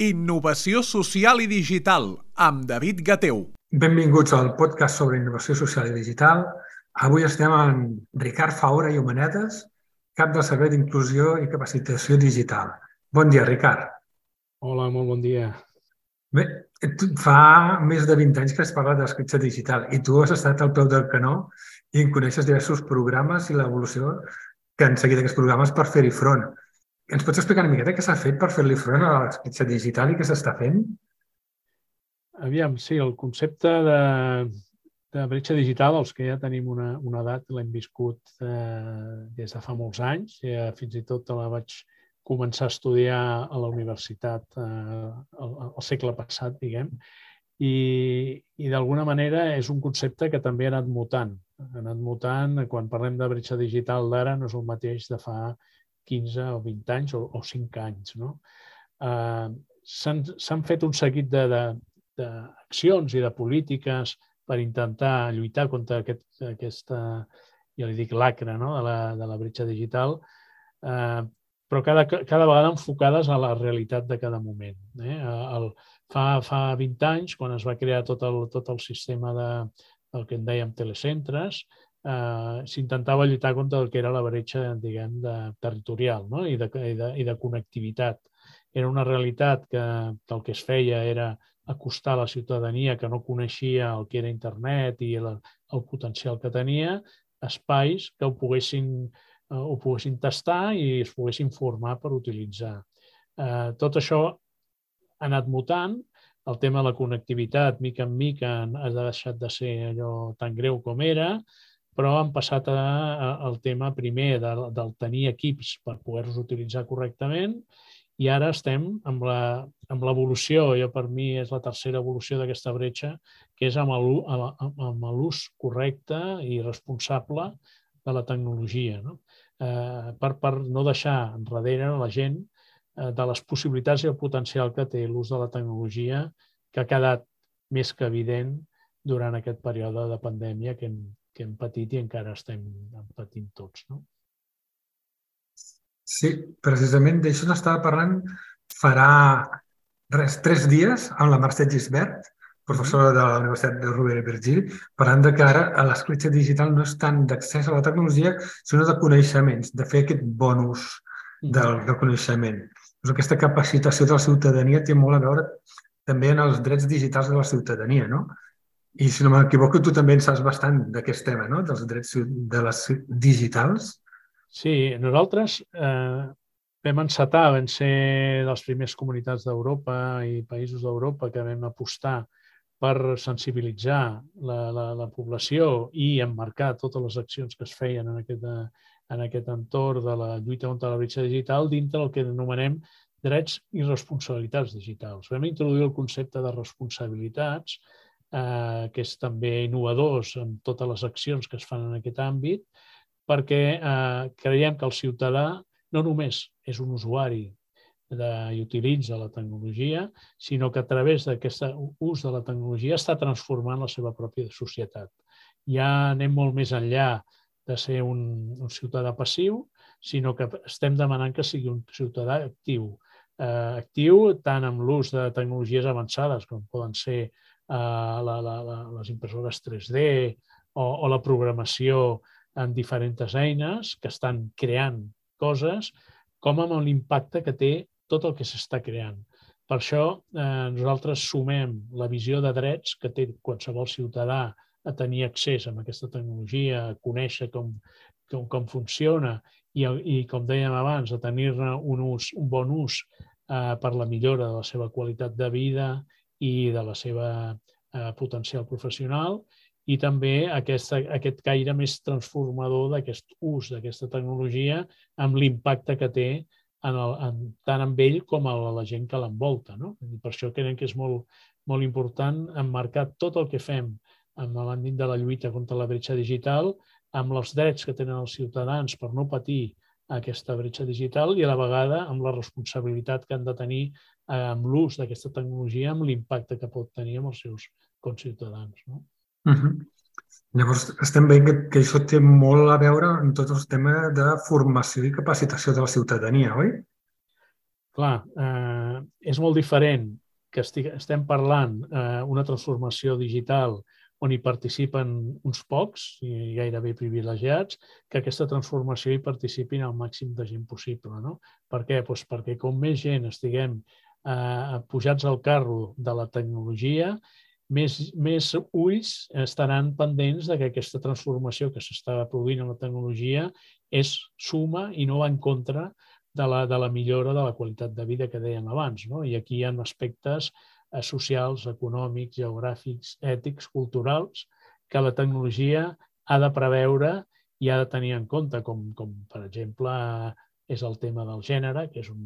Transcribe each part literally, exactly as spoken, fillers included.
Innovació social i digital, amb David Gateu. Benvinguts al podcast sobre innovació social i digital. Avui estem amb Ricard Faura i Humanetes, cap del Servei d'Inclusió i Capacitació Digital. Bon dia, Ricard. Hola, molt bon dia. Bé, fa més de vint anys que has parlat de l'escletxa digital i tu has estat al peu del canó i en coneixes diversos programes i l'evolució que han seguit aquests programes per fer-hi front. Ens pots explicar una miqueta què s'ha fet per fer-li front a l'escletxa digital i què s'està fent? Aviam, sí, el concepte de, de bretxa digital, els que ja tenim una, una edat, l'hem viscut eh, des de fa molts anys. Ja, fins i tot la vaig començar a estudiar a la universitat eh, el, el segle passat, diguem, i, i d'alguna manera és un concepte que també ha anat mutant. Ha anat mutant, quan parlem de bretxa digital d'ara, no és el mateix de fa quinze o vint anys o, o cinc anys. No? Eh, s'han fet un seguit de, de, d'accions i de polítiques per intentar lluitar contra aquest, aquesta, ja li dic, lacra, no? de, la, de la bretxa digital, eh, però cada, cada vegada enfocades a la realitat de cada moment. Eh? El, fa, fa vint anys, quan es va crear tot el, tot el sistema de, del que en dèiem telecentres, Uh, s'intentava lluitar contra el que era la bretxa, diguem, de, territorial, no? I, de, i, de, i de connectivitat. Era una realitat que, que el que es feia era acostar a la ciutadania que no coneixia el que era internet i el, el potencial que tenia, espais que ho poguessin, uh, ho poguessin tastar i es poguessin formar per utilitzar. Uh, tot això ha anat mutant. El tema de la connectivitat, mica en mica, ha deixat de ser allò tan greu com era, però han passat a, a, al tema primer de, del tenir equips per poder-los utilitzar correctament i ara estem amb l'evolució, jo per mi és la tercera evolució d'aquesta bretxa, que és amb l'ús correcte i responsable de la tecnologia, no? Eh, per, per no deixar enrere la gent eh, de les possibilitats i el potencial que té l'ús de la tecnologia, que ha quedat més que evident durant aquest període de pandèmia que hem que hem patit i encara estem patint tots, no? Sí, precisament d'això n'estava parlant farà res, tres dies amb la Mercè Gisbert, professora de la Universitat de Rovira i Virgili, parlant de que ara l'escletxa digital no és tant d'accés a la tecnologia, sinó de coneixements, de fer aquest bon ús del, del coneixement. Doncs aquesta capacitació de la ciutadania té molt a veure també en els drets digitals de la ciutadania, no? I si no m'equivoco, tu també en saps bastant d'aquest tema, no? Dels drets de les digitals. Sí, nosaltres eh, vam encetar, vam ser de les primeres comunitats d'Europa i països d'Europa que vam apostar per sensibilitzar la, la, la població i emmarcar totes les accions que es feien en aquest, en aquest entorn de la lluita contra la bretxa digital dintre del que anomenem drets i responsabilitats digitals. Vam introduir el concepte de responsabilitats, Eh, que és també innovadors en totes les accions que es fan en aquest àmbit, perquè eh, creiem que el ciutadà no només és un usuari de, i utilitza la tecnologia, sinó que a través d'aquest ús de la tecnologia està transformant la seva pròpia societat. Ja anem molt més enllà de ser un, un ciutadà passiu, sinó que estem demanant que sigui un ciutadà actiu. Eh, actiu tant amb l'ús de tecnologies avançades, com poden ser Uh, la, la, la, les impressores tres D o, o la programació en diferents eines que estan creant coses, com amb l'impacte que té tot el que s'està creant. Per això eh, nosaltres sumem la visió de drets que té qualsevol ciutadà a tenir accés a aquesta tecnologia, a conèixer com, com, com funciona i, i, com dèiem abans, a tenir-ne un, ús, un bon ús eh, per la millora de la seva qualitat de vida i de la seva eh, potencial professional i també aquesta, aquest caire més transformador d'aquest ús d'aquesta tecnologia amb l'impacte que té en el, en, tant amb ell com a la gent que l'envolta, no? I per això creiem que és molt, molt important emmarcar tot el que fem en l'àmbit de la lluita contra la bretxa digital amb els drets que tenen els ciutadans per no patir aquesta bretxa digital i a la vegada amb la responsabilitat que han de tenir amb l'ús d'aquesta tecnologia, amb l'impacte que pot tenir amb els seus conciutadans. No? Uh-huh. Llavors, estem veient que, que això té molt a veure amb tot el tema de formació i capacitació de la ciutadania, oi? clar, eh, és molt diferent que estem parlant eh, una transformació digital on hi participen uns pocs i gairebé privilegiats, que aquesta transformació hi participin el màxim de gent possible. No? Per què? Doncs perquè com més gent estiguem eh, pujats al carro de la tecnologia, més, més ulls estaran pendents de que aquesta transformació que s'està produint en la tecnologia és suma i no va en contra de la, de la millora de la qualitat de vida que dèiem abans. No? I aquí hi ha aspectes socials, econòmics, geogràfics, ètics, culturals, que la tecnologia ha de preveure i ha de tenir en compte, com, com per exemple és el tema del gènere, que és un,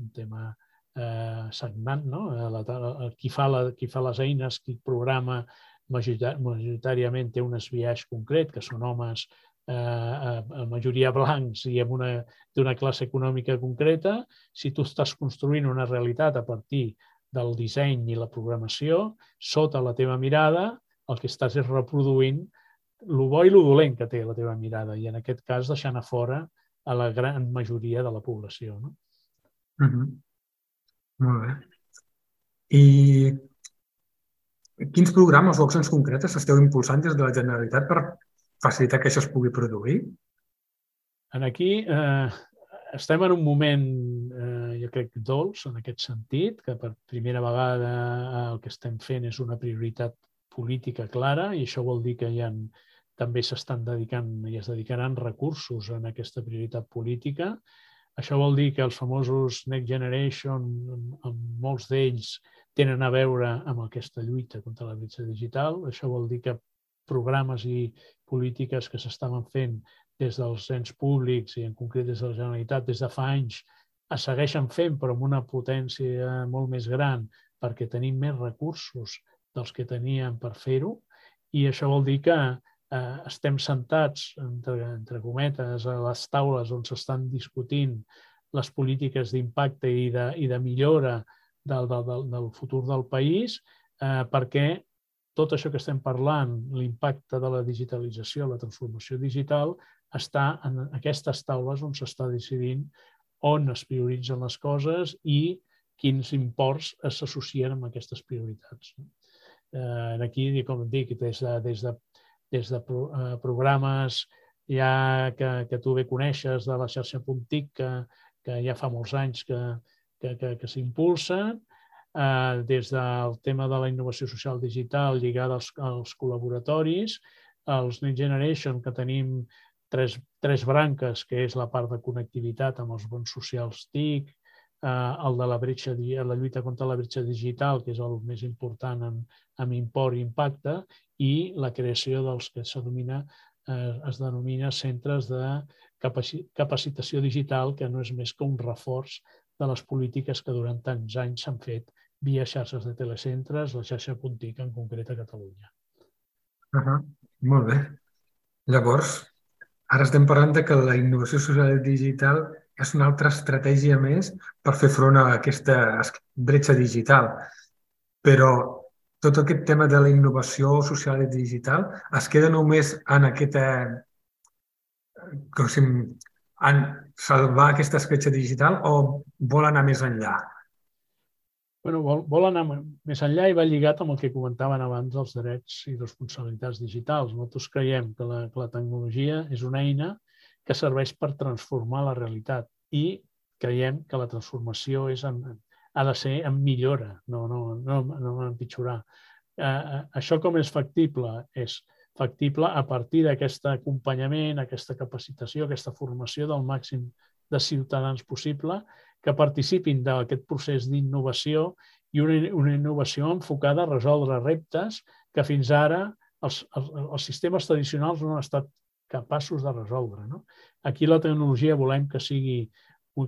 un tema eh, sagnant, no? La, qui, fa la, qui fa les eines, qui programa majoritàriament té un esbiaix concret, que són homes eh, a majoria blancs i d'una classe econòmica concreta. Si tu estàs construint una realitat a partir del disseny i la programació, sota la teva mirada, el que estàs és reproduint el bo i el dolent que té la teva mirada, i en aquest cas deixant a fora a la gran majoria de la població. No? Mm-hmm. Molt bé. I quins programes o accions concretes esteu impulsant des de la Generalitat per facilitar que això es pugui produir? Aquí eh, estem en un moment, eh, jo crec, dolç en aquest sentit, que per primera vegada el que estem fent és una prioritat política clara, i això vol dir que hi ha, també s'estan dedicant i es dedicaran recursos en aquesta prioritat política. Això vol dir que els famosos Next Generation, amb molts d'ells, tenen a veure amb aquesta lluita contra la bretxa digital. Això vol dir que programes i polítiques que s'estaven fent des dels ens públics i en concret des de la Generalitat des de fa anys es segueixen fent, però amb una potència molt més gran perquè tenim més recursos dels que teníem per fer-ho, i això vol dir que eh, estem sentats, entre, entre cometes, a les taules on s'estan discutint les polítiques d'impacte i, de, i de millora del, del, del futur del país, eh, perquè tot això que estem parlant, l'impacte de la digitalització, la transformació digital, està en aquestes taules on s'està decidint on es prioritzen les coses i quins imports s'associen amb aquestes prioritats. Eh, aquí, com et dic, des de, des de, des de pro, eh, programes ja que, que tu bé coneixes de la xarxa Puntic, que, que ja fa molts anys que, que, que, que s'impulsen, eh, des del tema de la innovació social digital lligada als, als col·laboratoris, els Next Generation, que tenim tres, tres branques, que és la part de connectivitat amb els bons socials T I C, eh, el de la, bretxa, la lluita contra la bretxa digital, que és el més important en, en import i impacte, i la creació dels que es denomina, eh, es denomina centres de capacitació digital, que no és més que un reforç de les polítiques que durant tants anys s'han fet via xarxes de telecentres, la xarxa Puntic en concret a Catalunya. Uh -huh. Molt bé. Llavors, ara estem parlant de que la innovació social digital és una altra estratègia més per fer front a aquesta bretxa digital. Però tot aquest tema de la innovació social i digital es queda només en aquesta, com si, en salvar aquesta escletxa digital o vol anar més enllà? Bueno, vol, vol anar més enllà i va lligat amb el que comentaven abans dels drets i responsabilitats digitals. Nosaltres creiem que la, que la tecnologia és una eina que serveix per transformar la realitat i creiem que la transformació és en, ha de ser en millora, no, no, no, no en empitjorar. Eh, això com és factible? És factible a partir d'aquest acompanyament, aquesta capacitació, aquesta formació del màxim de ciutadans possible que participin d'aquest procés d'innovació i una, una innovació enfocada a resoldre reptes que fins ara els, els, els sistemes tradicionals no han estat capaços de resoldre. No? Aquí la tecnologia volem que sigui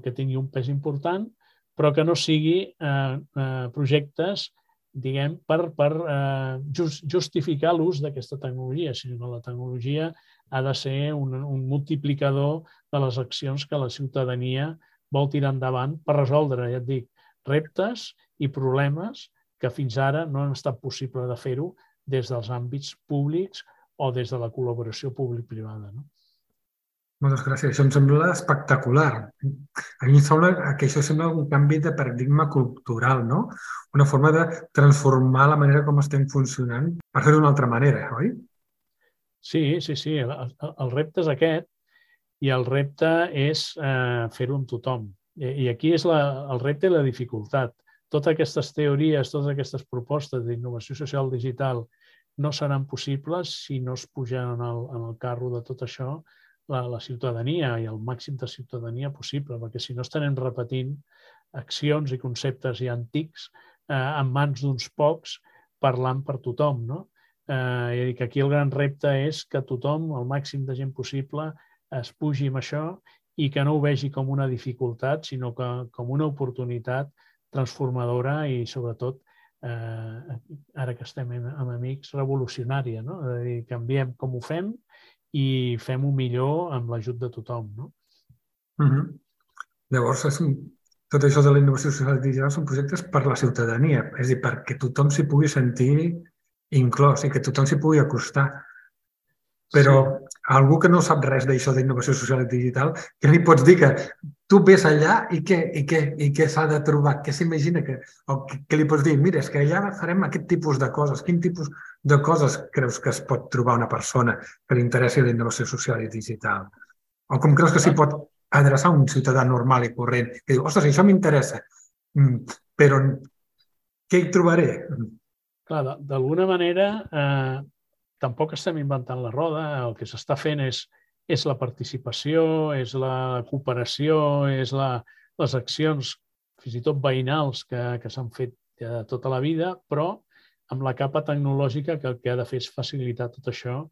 que tingui un pes important, però que no sigui eh, eh, projectes diguem, per, per eh, just, justificar l'ús d'aquesta tecnologia, sinó que la tecnologia ha de ser un, un multiplicador de les accions que la ciutadania vol tirar endavant per resoldre, ja et dic, reptes i problemes que fins ara no han estat possible de fer-ho des dels àmbits públics o des de la col·laboració públic-privada. No? Moltes gràcies. Això em sembla espectacular. A mi em sembla que això sembla un canvi de paradigma cultural, no? Una forma de transformar la manera com estem funcionant per fer-ho d'una altra manera, oi? Sí, sí, sí. El, el repte és aquest i el repte és eh, fer-ho amb tothom. I, i aquí és la, el repte i la dificultat. Totes aquestes teories, totes aquestes propostes d'innovació social digital no seran possibles si no es puja en el, en el carro de tot això la, la ciutadania i el màxim de ciutadania possible, perquè si no estarem repetint accions i conceptes ja antics eh, en mans d'uns pocs parlant per tothom, no? Eh, i que aquí el gran repte és que tothom, el màxim de gent possible, es pugi amb això i que no ho vegi com una dificultat, sinó que com una oportunitat transformadora i, sobretot, eh, ara que estem amb amics, revolucionària, no? És a dir, canviem com ho fem i fem-ho millor amb l'ajut de tothom, no? Uh -huh. Llavors, és un... tot això de la innovació social digital són projectes per la ciutadania, és a dir, perquè tothom s'hi pugui sentir inclòs i que tothom s'hi pugui acostar. Però sí. Algú que no sap res d'això d'innovació social i digital, què li pots dir? Que tu ves allà i què, i què, i què s'ha de trobar? Què s'imagina? Que, o què li pots dir? Mira, és que allà farem aquest tipus de coses. Quin tipus de coses creus que es pot trobar una persona que li interessi la innovació social i digital? O com creus que s'hi pot adreçar un ciutadà normal i corrent que diu, ostres, això m'interessa, però què hi trobaré? Clar, d'alguna manera... Eh... Tampoc estem inventant la roda, el que s'està fent és, és la participació, és la cooperació, és la, les accions, fins i tot veïnals, que, que s'han fet ja tota la vida, però amb la capa tecnològica que el que ha de fer és facilitar tot això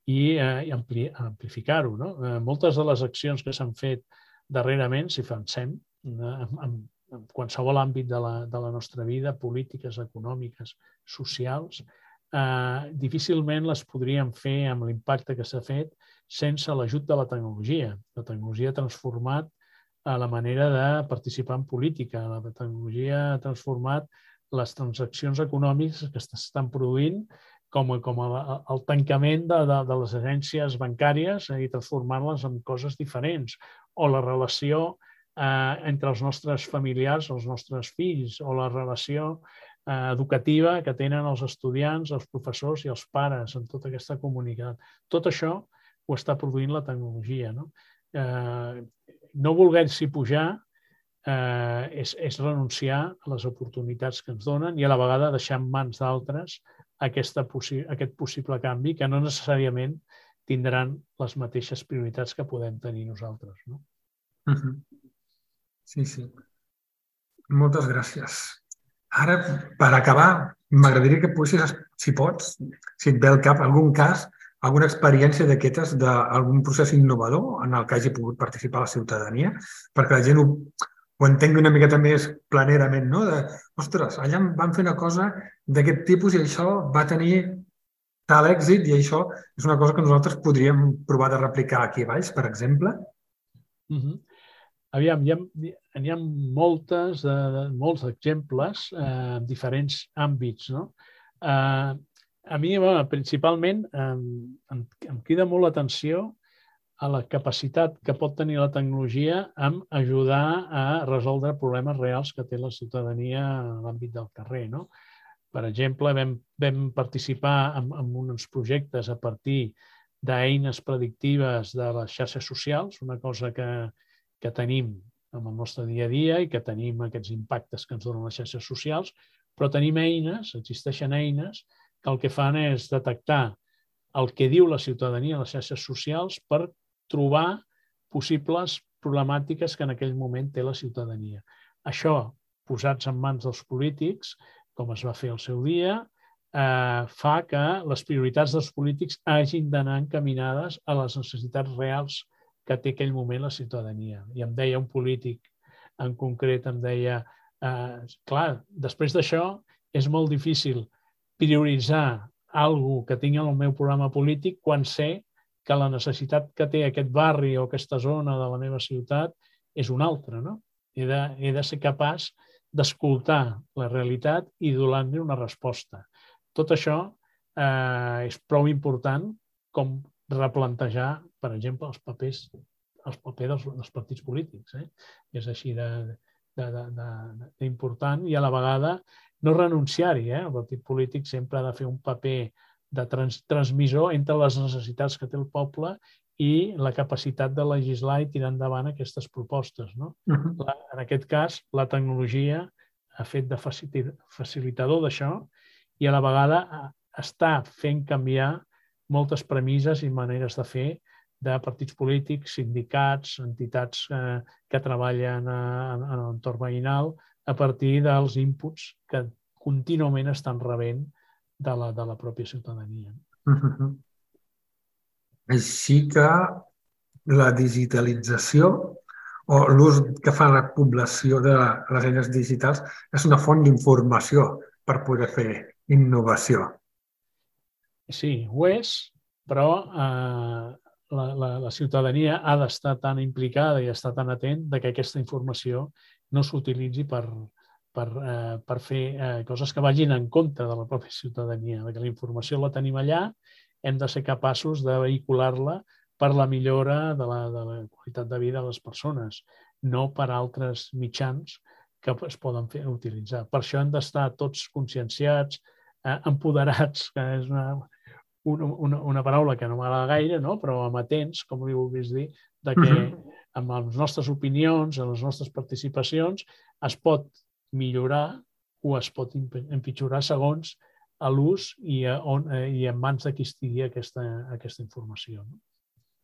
i, eh, i ampli, amplificar-ho, no? Eh, moltes de les accions que s'han fet darrerament, si pensem, eh, en, en qualsevol àmbit de la, de la nostra vida, polítiques, econòmiques, socials, Uh, difícilment les podríem fer amb l'impacte que s'ha fet sense l'ajut de la tecnologia. La tecnologia ha transformat uh, la manera de participar en política. La tecnologia ha transformat les transaccions econòmiques que s'estan produint com, com el, el tancament de, de, de les agències bancàries i transformar-les en coses diferents. O la relació uh, entre els nostres familiars, els nostres fills, o la relació educativa que tenen els estudiants, els professors i els pares en tota aquesta comunitat. Tot això ho està produint la tecnologia, no? Eh, no voler-s'hi pujar eh, és, és renunciar a les oportunitats que ens donen i a la vegada deixar en mans d'altres aquesta possi aquest possible canvi que no necessàriament tindran les mateixes prioritats que podem tenir nosaltres, no? Uh-huh. Sí, sí. Moltes gràcies. Ara, per acabar, m'agradaria que poguessis, si pots, si et ve al cap algun cas, alguna experiència d'aquestes d'algun procés innovador en el que hagi pogut participar la ciutadania, perquè la gent ho, ho entengui una miqueta més planerament, no? De, ostres, allà van fer una cosa d'aquest tipus i això va tenir tal èxit i això és una cosa que nosaltres podríem provar de replicar aquí baix, per exemple. Mm-hmm. Aviam, hi ha, hi ha moltes, eh, molts exemples eh, en diferents àmbits, no? Eh, a mi, bueno, principalment, eh, em, em crida molt l'atenció a la capacitat que pot tenir la tecnologia en ajudar a resoldre problemes reals que té la ciutadania a l'àmbit del carrer, no? Per exemple, vam, vam participar en, en uns projectes a partir d'eines predictives de les xarxes socials, una cosa que que tenim en el nostre dia a dia i que tenim aquests impactes que ens donen les xarxes socials, però tenim eines, existeixen eines, que el que fan és detectar el que diu la ciutadania a les xarxes socials per trobar possibles problemàtiques que en aquell moment té la ciutadania. Això, posats en mans dels polítics, com es va fer al seu dia, eh, fa que les prioritats dels polítics hagin d'anar encaminades a les necessitats reals que té aquell moment la ciutadania. I em deia un polític en concret, em deia, eh, clar, després d'això és molt difícil prioritzar alguna que tingui en el meu programa polític quan sé que la necessitat que té aquest barri o aquesta zona de la meva ciutat és una altra, no? He de, he de ser capaç d'escoltar la realitat i donar-li una resposta. Tot això eh, és prou important com replantejar, per exemple, els papers el paper dels, dels partits polítics. Eh? És així d'important i a la vegada no renunciar-hi. Eh? El partit polític sempre ha de fer un paper de trans, transmissor entre les necessitats que té el poble i la capacitat de legislar i tirar endavant aquestes propostes. No? Uh-huh. la, en aquest cas, la tecnologia ha fet de facilitador d'això i a la vegada està fent canviar moltes premisses i maneres de fer de partits polítics, sindicats, entitats eh, que treballen en, en l'entorn veïnal a partir dels inputs que contínuament estan rebent de la, de la pròpia ciutadania. Uh-huh. Així que la digitalització o l'ús que fa la població de les eines digitals és una font d'informació per poder fer innovació. Sí, ho és, però eh, la, la, la ciutadania ha d'estar tan implicada i estar tan atent de que aquesta informació no s'utilitzi per, per, eh, per fer eh, coses que vagin en contra de la pròpia ciutadania. Que la informació la tenim allà, hem de ser capaços de vehicular-la per la millora de la, de la qualitat de vida de les persones, no per altres mitjans que es poden fer, utilitzar. Per això hem d'estar tots conscienciats, eh, empoderats, que és una, una, una paraula que no m'agrada gaire, no? Però amatents, com li vulguis dir, de que amb les nostres opinions, amb les nostres participacions, es pot millorar o es pot empitjorar segons a l'ús i, a on, i en mans de qui estigui aquesta, aquesta informació. No?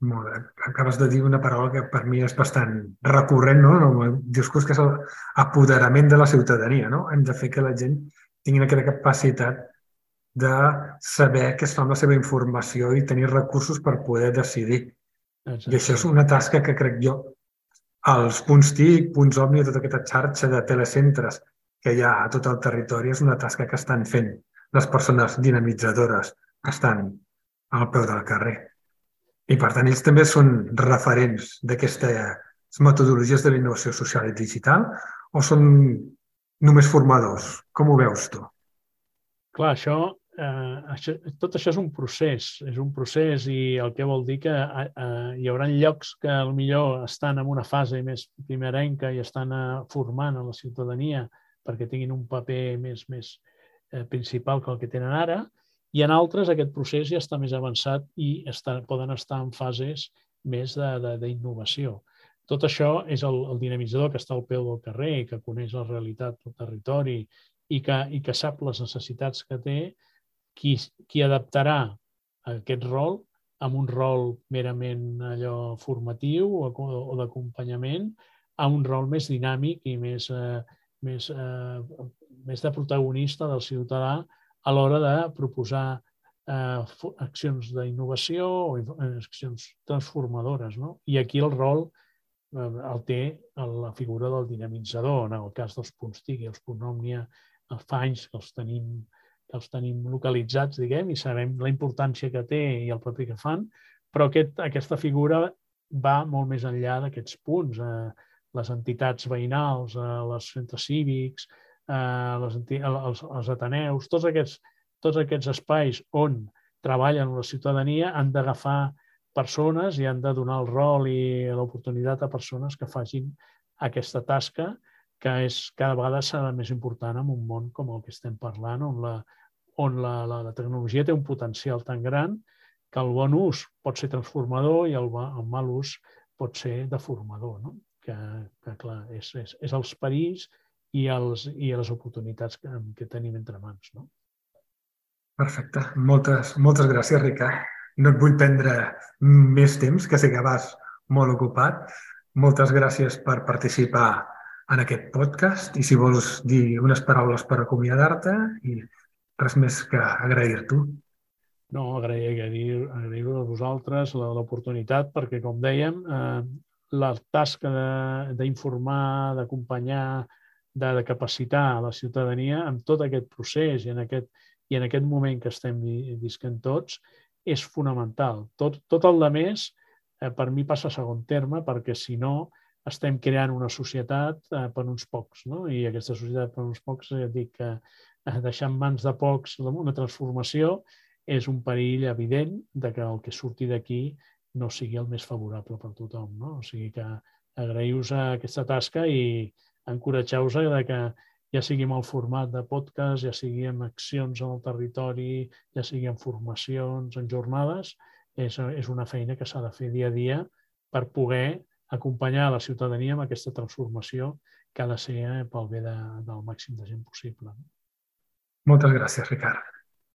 Molt bé. Acabes de dir una paraula que per mi és bastant recurrent, no? En el discurs, que és l'apoderament de la ciutadania. No? Hem de fer que la gent tingui aquesta capacitat de saber què es fa amb la seva informació i tenir recursos per poder decidir. Exacte. I això és una tasca que crec jo, els punts T I C, punts Omni, tota aquesta xarxa de telecentres que hi ha a tot el territori, és una tasca que estan fent les persones dinamitzadores que estan al peu del carrer. I, per tant, ells també són referents d'aquestes metodologies de la innovació social i digital o són només formadors? Com ho veus tu? Clar, això, eh, això, tot això és un procés, és un procés i el que vol dir que eh, hi haurà llocs que potser estan en una fase més primerenca i estan eh, formant a la ciutadania perquè tinguin un paper més, més eh, principal que el que tenen ara, i en altres aquest procés ja està més avançat i està, poden estar en fases més d'innovació. Tot això és el, el dinamitzador que està al peu del carrer i que coneix la realitat del territori i que, i que sap les necessitats que té, qui, qui adaptarà aquest rol amb un rol merament allò formatiu o, o d'acompanyament a un rol més dinàmic i més, eh, més, eh, més de protagonista del ciutadà a l'hora de proposar eh, accions d'innovació o accions transformadores. No? I aquí el rol eh, el té la figura del dinamitzador, en el cas dels punts T I C i els punts Òmnia, els fa anys que els tenim, que els tenim localitzats, diguem, i sabem la importància que té i el paper que fan, però aquest, aquesta figura va molt més enllà d'aquests punts. Eh, les entitats veïnals, eh, els centres cívics, Eh, les, els, els ateneus, tots aquests, tots aquests espais on treballen la ciutadania han d'agafar persones i han de donar el rol i l'oportunitat a persones que facin aquesta tasca que és cada vegada serà més important en un món com el que estem parlant, on la, on la, la, la tecnologia té un potencial tan gran que el bon ús pot ser transformador i el, el mal ús pot ser deformador. No? Que, que clar, és, és, és els perills i, els, i les oportunitats que, que tenim entre mans. No? Perfecte. Moltes, moltes gràcies, Ricard. No et vull prendre més temps, que sé que vas molt ocupat. Moltes gràcies per participar en aquest podcast i si vols dir unes paraules per acomiadar-te i res més que agrair-t'ho. No, agrair, agrair, agrair-ho a vosaltres l'oportunitat perquè, com dèiem, eh, la tasca d'informar, d'acompanyar, de, de capacitar a la ciutadania amb tot aquest procés i en aquest, i en aquest moment que estem visquent tots és fonamental. Tot, tot el de més eh, per mi passa a segon terme perquè si no estem creant una societat eh, per uns pocs. No? I aquesta societat per uns pocs, eh, dic que eh, deixar en mans de pocs una transformació és un perill evident de que el que surti d'aquí no sigui el més favorable per tothom. No? O sigui que agraïu-vos aquesta tasca i encoratgeu-vos que ja sigui en el format de podcast, ja sigui en accions en el territori, ja sigui en formacions, en jornades, és, és una feina que s'ha de fer dia a dia per poder acompanyar la ciutadania en aquesta transformació que ha de ser pel bé de, del màxim de gent possible. Moltes gràcies, Ricard.